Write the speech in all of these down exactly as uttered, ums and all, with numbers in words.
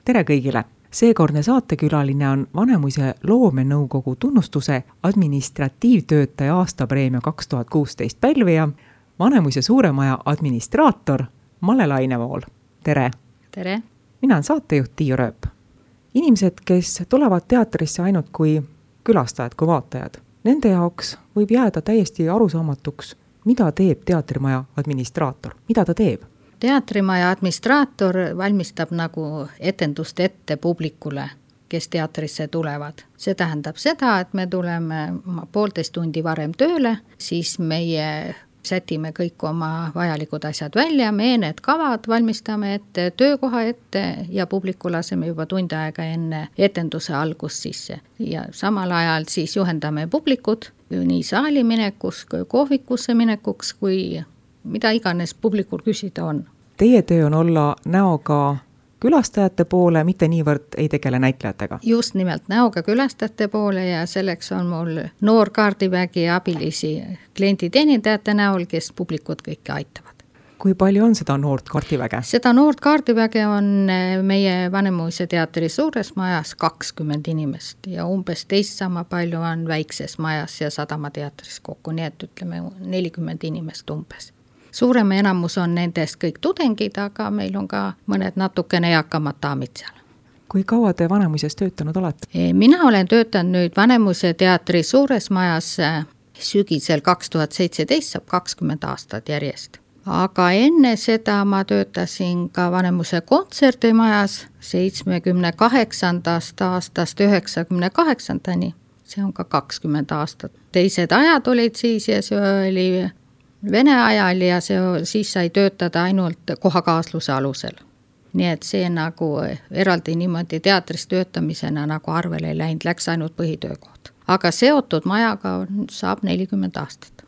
tere kõigile! Seekordne saatekülaline on Vanemuise loomenõukogu tunnustuse administratiivtöötaja aastapreemia kaks tuhat kuusteist pälvija, Vanemuise suuremaja administraator Malle Lainevool. Tere! Tere! Mina olen saatejuht Tiiu Rööp. Inimesed, kes tulevad teatrisse ainult kui külastajad, kui vaatajad, nende jaoks võib jääda täiesti arusaamatuks, mida teeb teatrimaja administraator, mida ta teeb? Teatrimaja administraator valmistab nagu etendust ette publikule, kes teatrisse tulevad. See tähendab seda, et me tuleme poolteist tundi varem tööle, siis meie sätime kõik oma vajalikud asjad välja, me need kavad valmistame ette, töökoha ette ja publiku laseme juba tund aega enne etenduse algust sisse. Ja samal ajal siis juhendame publikut nii saali minekuks, kohvikusse minekuks, kui mida iganes publikul küsida on. Teie töö on olla näoga külastajate poole, mitte niivõrd ei tegele näitlejatega. Just nimelt näoga külastajate poole ja selleks on mul noor kaardivägi abilisi klienditeenindajate näol, kes publikut kõike aitavad. Kui palju on seda noort kaardiväge? Seda noort kaardiväge on meie Vanemuise teatri suures majas kakskümmend inimest ja umbes teist sama palju on väikses majas ja Sadama teatris kokku, nii et ütleme nelikümmend inimest umbes. Suurema enamus on nendest kõik tudengid, aga meil on ka mõned natukene eakamad daamid seal. Kui kaua te Vanemuises töötanud olete? Mina olen töötanud nüüd Vanemuise teatri suures majas sügisel kaks tuhat seitseteist, saab kakskümmend aastat järjest. Aga enne seda ma töötasin ka Vanemuise kontserdimajas seitsmekümne kaheksandast aastast üheksakümne kaheksandani. See on ka kakskümmend aastat. Teised ajad olid siis ja see oli Vene ajal ja see, siis sai töötada ainult kohakaasluse alusel. Nii et see nagu eraldi niimoodi teatris töötamisena nagu arvele ei läinud, läks ainult põhitöökoht. Aga seotud majaga saab nelikümmend aastat.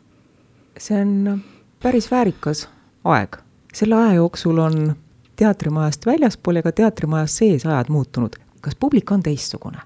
See on päris väärikas aeg. Selle aja jooksul on teatrimajast väljaspool ja ka teatrimajas sees ajad muutunud. Kas publik on teistsugune?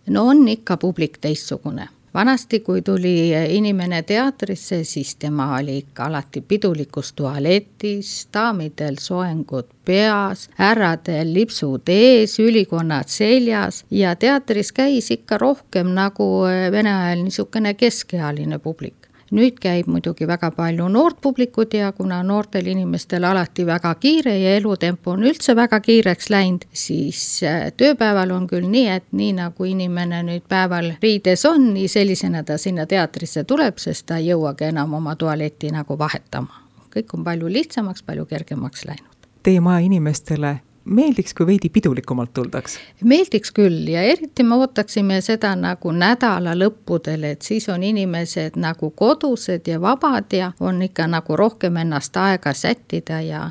No on ikka publik teistsugune. Vanasti, kui tuli inimene teatrisse, siis tema oli ikka alati pidulikus tualetis, daamidel soengud peas, härradel lipsud ees, ülikonnad seljas ja teatris käis ikka rohkem nagu Vene ajal niisugune keskealine publik. Nüüd käib muidugi väga palju noort publikut ja kuna noortel inimestel alati väga kiire ja elutempo on üldse väga kiireks läinud, siis tööpäeval on küll nii, et nii nagu inimene nüüd päeval riides on, nii sellisena ta sinna teatrisse tuleb, sest ta ei jõuagi enam oma tualetti nagu vahetama. Kõik on palju lihtsamaks, palju kergemaks läinud. Teie maja inimestele meeldiks, kui veidi pidulikumalt tuldaks? Meeldiks küll ja eriti me ootaksime seda nagu nädala lõppudel, et siis on inimesed nagu kodused ja vabad ja on ikka nagu rohkem ennast aega sättida ja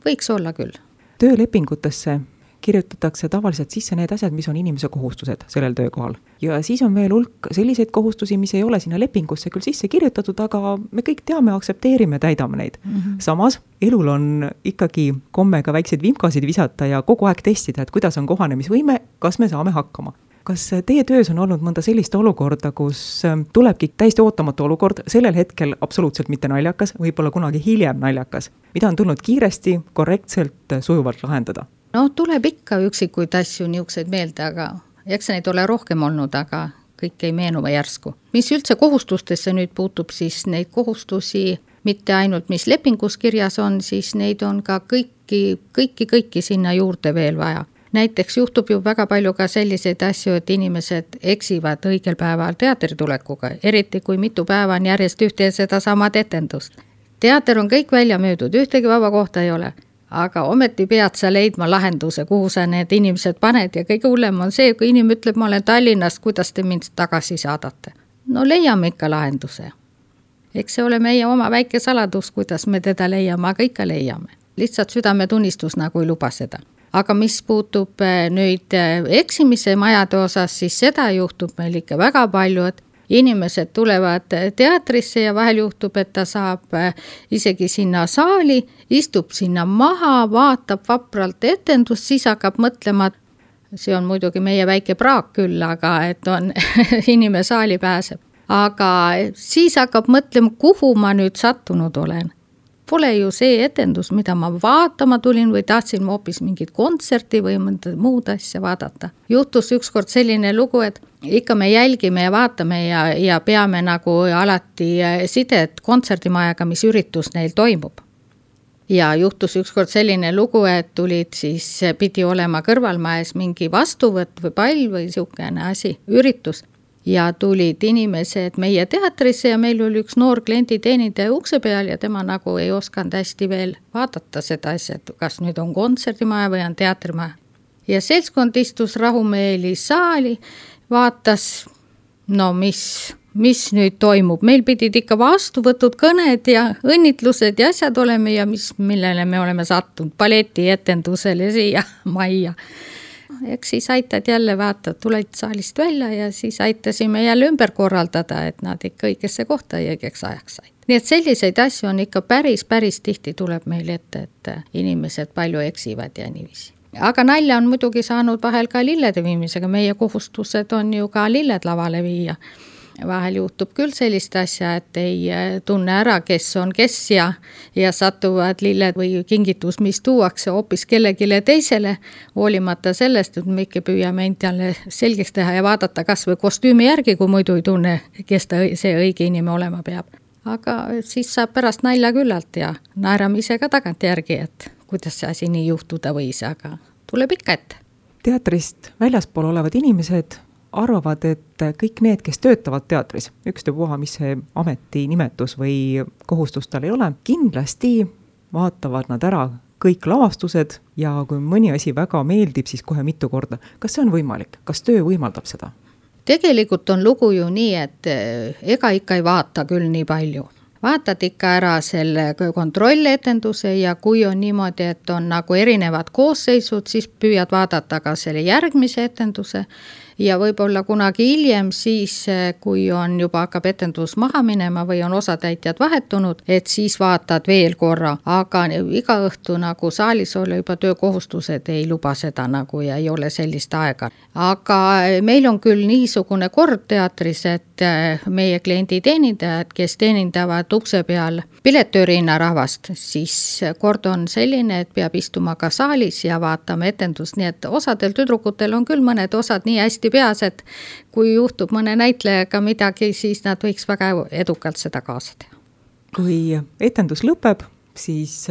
võiks olla küll. Töölepingutesse kirjutatakse tavaliselt sisse need asjad, mis on inimese kohustused sellel töökohal. Ja siis on veel hulk selliseid kohustusi, mis ei ole sinna lepingusse küll sisse kirjutatud, aga me kõik teame, aksepteerime, täidame neid. Mm-hmm. Samas, elul on ikkagi komme ka väikseid vimkasid visata ja kogu aeg testida, et kuidas on kohanemisvõime, kas me saame hakkama. Kas teie töös on olnud mõnda sellist olukorda, kus tulebki täiesti ootamatu olukord, sellel hetkel absoluutselt mitte naljakas, võib-olla kunagi hiljem naljakas, mida on tulnud kiiresti, korrektselt, sujuvalt lahendada? No tuleb ikka üksikuid asju niukseid meelde, aga eks neid ole rohkem olnud, aga kõik ei meenu järsku. Mis üldse kohustustesse nüüd puutub, siis neid kohustusi mitte ainult mis lepingus kirjas on, siis neid on ka kõiki, kõiki, kõiki sinna juurde veel vaja. Näiteks juhtub ju väga palju ka selliseid asju, et inimesed eksivad õigel päeval teatritulekuga, eriti kui mitu päeva on järjest ühte ja seda samad etendust. Teater on kõik välja müüdud, ühtegi vaba kohta ei ole. Aga ometi pead sa leidma lahenduse, kuhu sa need inimesed paned ja kõige hullem on see, kui inimene ütleb, ma olen Tallinnast, kuidas te mind tagasi saadate. No leiame ikka lahenduse. Eks see ole meie oma väike saladus, kuidas me teda leiame, aga ikka leiame. Lihtsalt südametunnistus nagu ei luba seda. Aga mis puutub nüüd eksimise majade osas, siis seda juhtub meil ikka väga palju, et inimesed tulevad teatrisse ja vahel juhtub, et ta saab isegi sinna saali, istub sinna maha, vaatab vapralt etendust, siis hakkab mõtlema, see on muidugi meie väike praak küll, aga et on inimene saali pääseb. Aga siis hakkab mõtlema, kuhu ma nüüd sattunud olen. pole ju see etendus, mida ma vaatama tulin või tahtsin ma hoopis mingit kontserti või mõnda muud asja vaadata. Juhtus ükskord selline lugu, et ikka me jälgime ja vaatame ja, ja peame nagu alati sidet kontserdimajaga, mis üritus neil toimub. Ja juhtus ükskord selline lugu, et tulid siis, pidi olema kõrvalmajas mingi vastuvõtt või pall või siukene asi, üritus. Ja tulid inimesed meie teatrisse ja meil oli üks noor klienditeenindaja ukse peal ja tema nagu ei osanud hästi veel vaadata seda asja, et kas nüüd on kontserdimaja või on teatrimaja. Ja seltskond istus rahumeeli saali, vaatas, no mis... mis nüüd toimub. Meil pidid ikka vastuvõtud kõned ja õnnitlused ja asjad oleme ja mis, millele me oleme sattunud balletietendusele siia majja. Eks siis aitad jälle vaata, tulid saalist välja ja siis aitasime jälle ümber korraldada, et nad ikka õigesse kohta ja õigeks ajaks said. Nii et selliseid asju on ikka päris, päris tihti tuleb meil ette, et inimesed palju eksivad ja niiviisi. Aga nalja on muidugi saanud vahel ka lillede viimisega. Meie kohustused on ju ka lilled lavale viia. Vahel juhtub küll sellist asja, et ei tunne ära, kes on kes ja, ja satuvad lilled või kingitus, mis tuuakse hoopis kellegile teisele, hoolimata sellest, et me ikka püüame endale selgeks teha ja vaadata kas või kostüümi järgi, kui muidu ei tunne, kes ta, see õige inimene olema peab. Aga siis saab pärast nalja küllalt ja naerame ise ka tagant järgi, et kuidas see asi nii juhtuda võis, aga tuleb ikka ette. Teatrist väljaspool olevad inimesed arvavad, et kõik need, kes töötavad teatris, ükstapuha, mis see ameti nimetus või kohustus tal ei ole, kindlasti vaatavad nad ära kõik lavastused ja kui mõni asi väga meeldib, siis kohe mitu korda. Kas see on võimalik? Kas töö võimaldab seda? Tegelikult on lugu ju nii, et ega ikka ei vaata küll nii palju. Vaatad ikka ära selle kontrolletenduse ja kui on niimoodi, et on nagu erinevad koosseisud, siis püüad vaadata ka selle järgmise etenduse ja võib-olla kunagi hiljem siis, kui on juba hakkab etendus maha minema või on osatäitjad vahetunud, et siis vaatad veel korra, aga iga õhtu nagu saalis ole juba töökohustused ei luba seda nagu ja ei ole sellist aega. Aga meil on küll niisugune kord teatris, et meie klienditeenindajad, kes teenindavad ukse peal piletöörinna rahvast, siis kord on selline, et peab istuma ka saalis ja vaatama etendust, nii et osadel tüdrukutel on küll mõned osad nii hästi peas, et kui juhtub mõne näitlejaga midagi, siis nad võiks väga edukalt seda kaasa teha. Kui etendus lõpeb, siis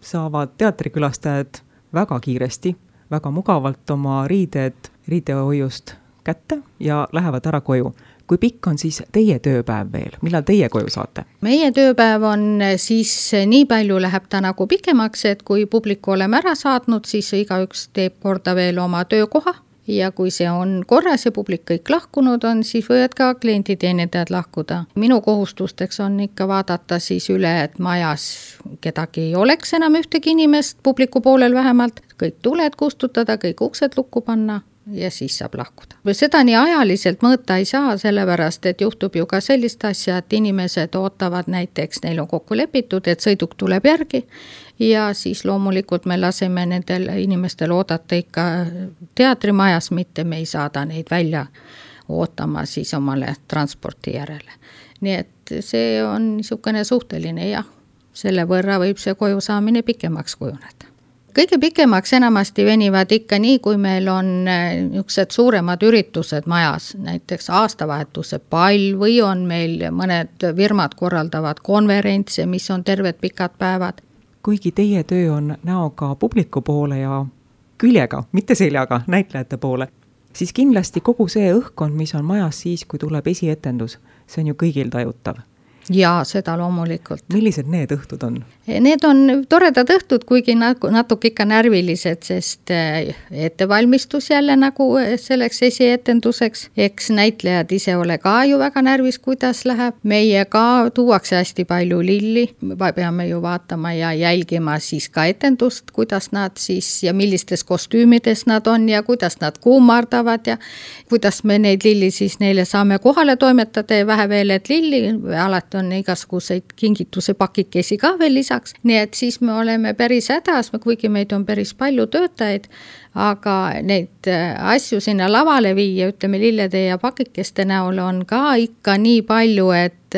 saavad teatrikülastajad väga kiiresti, väga mugavalt oma riided riidehoiust kätte ja lähevad ära koju. Kui pikk on siis teie tööpäev veel? Millal teie koju saate? Meie tööpäev on siis nii palju läheb ta nagu pikemaks, et kui publiku oleme ära saatnud, siis igaüks teeb korda veel oma töökoha ja kui see on korras ja publik kõik lahkunud on, siis võivad ka klienditeenindajad lahkuda. Minu kohustusteks on ikka vaadata siis üle, et majas kedagi ei oleks enam ühtegi inimest, publiku poolel vähemalt, kõik tuled kustutada, kõik uksed lukku panna ja siis saab lahkuda. Seda nii ajaliselt mõõta ei saa, sellepärast, et juhtub ju ka sellist asja, et inimesed ootavad näiteks, neil on kokku lepitud, et sõiduk tuleb järgi ja siis loomulikult me laseme nendel inimestel oodata ikka teatrimajas, mitte me ei saada neid välja ootama siis omale transporti järele. Nii et see on niisugune suhteline ja selle võrra võib see koju saamine pikemaks kujuneda. Kõige pikemaks enamasti venivad ikka nii, kui meil on niisugused suuremad üritused majas, näiteks aastavahetuse pall või on meil mõned firmad korraldavad konverentse, mis on terved pikad päevad. Kuigi teie töö on näoga publiku poole ja küljega, mitte seljaga, näitlejate poole, siis kindlasti kogu see õhkkond, mis on majas siis, kui tuleb esietendus, see on ju kõigil tajutav. Jaa, seda loomulikult. Millised need õhtud on? Need on toredad õhtud, kuigi natuke ikka närvilised, sest ettevalmistus jälle nagu selleks esietenduseks. Eks näitlejad ise ole ka ju väga närvis, kuidas läheb. Meie ka tuuakse hästi palju lilli. Peame ju vaatama ja jälgima siis ka etendust, kuidas nad siis ja millistes kostüümides nad on ja kuidas nad kuumardavad ja kuidas me neid lilli siis neile saame kohale toimetada ja vähe veel, et lilli alati on igasuguseid kingituse pakikesi ka veel lisaks, nii et siis me oleme päris hädas, kuigi meid on päris palju töötajaid, aga neid asju sinna lavale viia, ütleme lillede ja pakikeste näol on ka ikka nii palju, et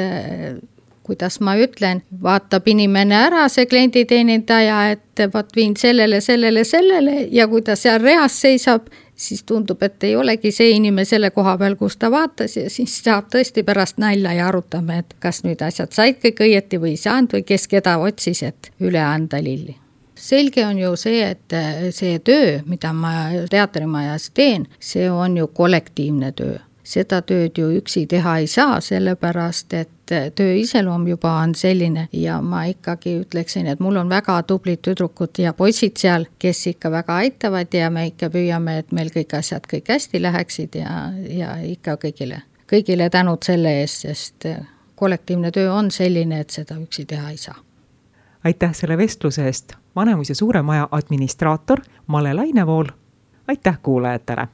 kuidas ma ütlen, vaatab inimene ära, see klienditeenindaja, et vaat viin sellele, sellele, sellele ja kui ta seal reas seisab, siis tundub, et ei olegi see inimene selle koha peal, kus ta vaatas ja siis saab tõesti pärast nalja ja arutame, et kas nüüd asjad said kõik õieti või ei saanud või kes keda otsis, et üle anda lilli. Selge on ju see, et see töö, mida ma teatrimajas teen, see on ju kollektiivne töö. Seda tööd ju üksi teha ei saa, sellepärast et töö iseloom juba on selline ja ma ikkagi ütleksin, et mul on väga tublid tüdrukud ja poisid seal, kes ikka väga aitavad ja me ikka püüame, et meil kõik asjad kõik hästi läheksid ja, ja ikka kõigile, kõigile tänud selle eest, sest kollektiivne töö on selline, et seda üksi teha ei saa. Aitäh selle vestluse eest, Vanemuise Suure Maja administraator Male Lainevool. Aitäh kuulajatele!